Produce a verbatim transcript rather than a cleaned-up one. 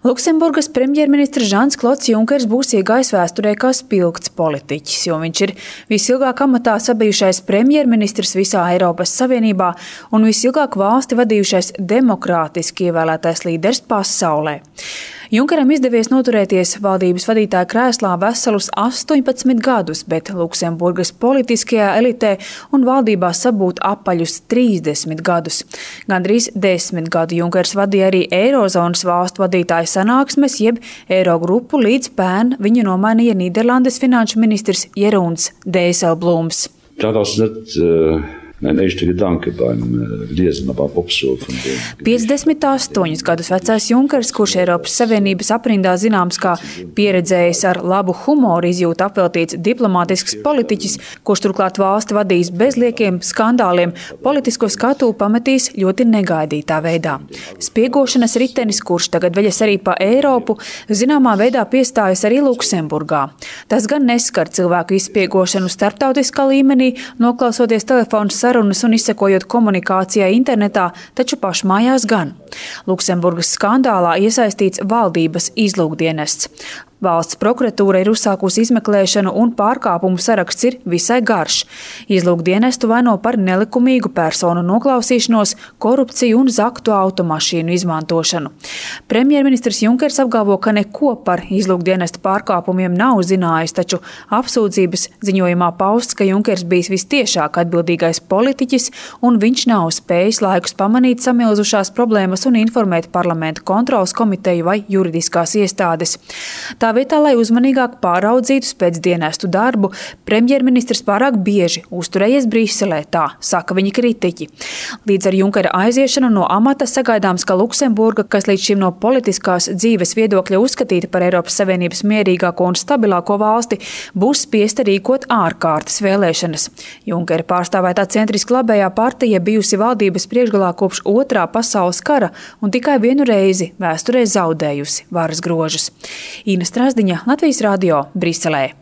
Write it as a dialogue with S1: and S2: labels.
S1: Luksemburgas premjerministrs Žans Klods Junkers būs iegājis vēsturē kā spilgts politiķis, jo viņš ir visilgāk amatā sabijušais premjerministrs visā Eiropas Savienībā un visilgāk valsti vadījušais demokrātiski ievēlētais līderis pasaulē. Junkeram izdevies noturēties valdības vadītāja krēslā veselus astoņpadsmit gadus, bet Luksemburgas politiskajā elitē un valdībā sabūt apaļus trīsdesmit gadus. Gandrīz desmit gadu Junkers vadīja arī Eirozonas valstu vadītāju sanāksmes, jeb Eirogrupu, līdz pērn viņu nomainīja Nīderlandes finanšu ministrs Jeroens Dijsselbloems.
S2: Daraus net uh... Mein echte Gedanke beim Lesen, aber Popso von dem.
S1: piecdesmit astoņus gadus vecais Junkers, kurš Eiropas Savienības aprindā zināms kā pieredzējis ar labu humoru izjūtu apveltīts diplomātisks politiķis, kurš turklāt valsti vadīs bez liekiem skandāliem, politisko skatu pametīs ļoti negaidītā veidā. Spiegošanas ritenis, kurš tagad veļas arī pa Eiropu, zināmā veidā piestājas arī Luksemburgā. Tas gan neskar cilvēku izspiegošanu starptautiskā līmenī, noklausoties telefonu sarunas un izsekojot komunikācijai internetā, taču pašmājās gan. Luksemburgas skandālā iesaistīts valdības izlūkdienests. Valsts prokuratūra ir uzsākusi izmeklēšanu un pārkāpumu saraksts ir visai garš. Izlūkdienestu vaino par nelikumīgu personu noklausīšanos, korupciju un zaktu automašīnu izmantošanu. Premjerministrs Junkers apgalvo, ka neko par izlūkdienestu pārkāpumiem nav zinājis, taču apsūdzības ziņojumā pausts, ka Junkers bijis vistiešāk atbildīgais politiķis un viņš nav spējis laikus pamanīt samilzušās problēmas un informēt parlamenta kontrolas komiteju vai juridiskās iestādes. Tā vietā, lai uzmanīgāk pāraudzītu spēcdienestu darbu, premjerministrs pārāk bieži uzturējies Briselē, tā saka viņa kritiķi. Līdz ar Junkera aiziešanu no amata sagaidāms, ka Luksemburga, kas līdz šim no politiskās dzīves viedokļa uzskatīta par Eiropas Savienības mierīgāko un stabilāko valsti, būs spiesta rīkot ārkārtas vēlēšanas. Junkera pārstāvētā centriski labējā partija bijusi valdības priekšgalā kopš otrā pasaules kara un tikai vienu reizi vēsturē zaudējusi varas grožus. Ina Strasdiņa, Latvijas radio, Briselē.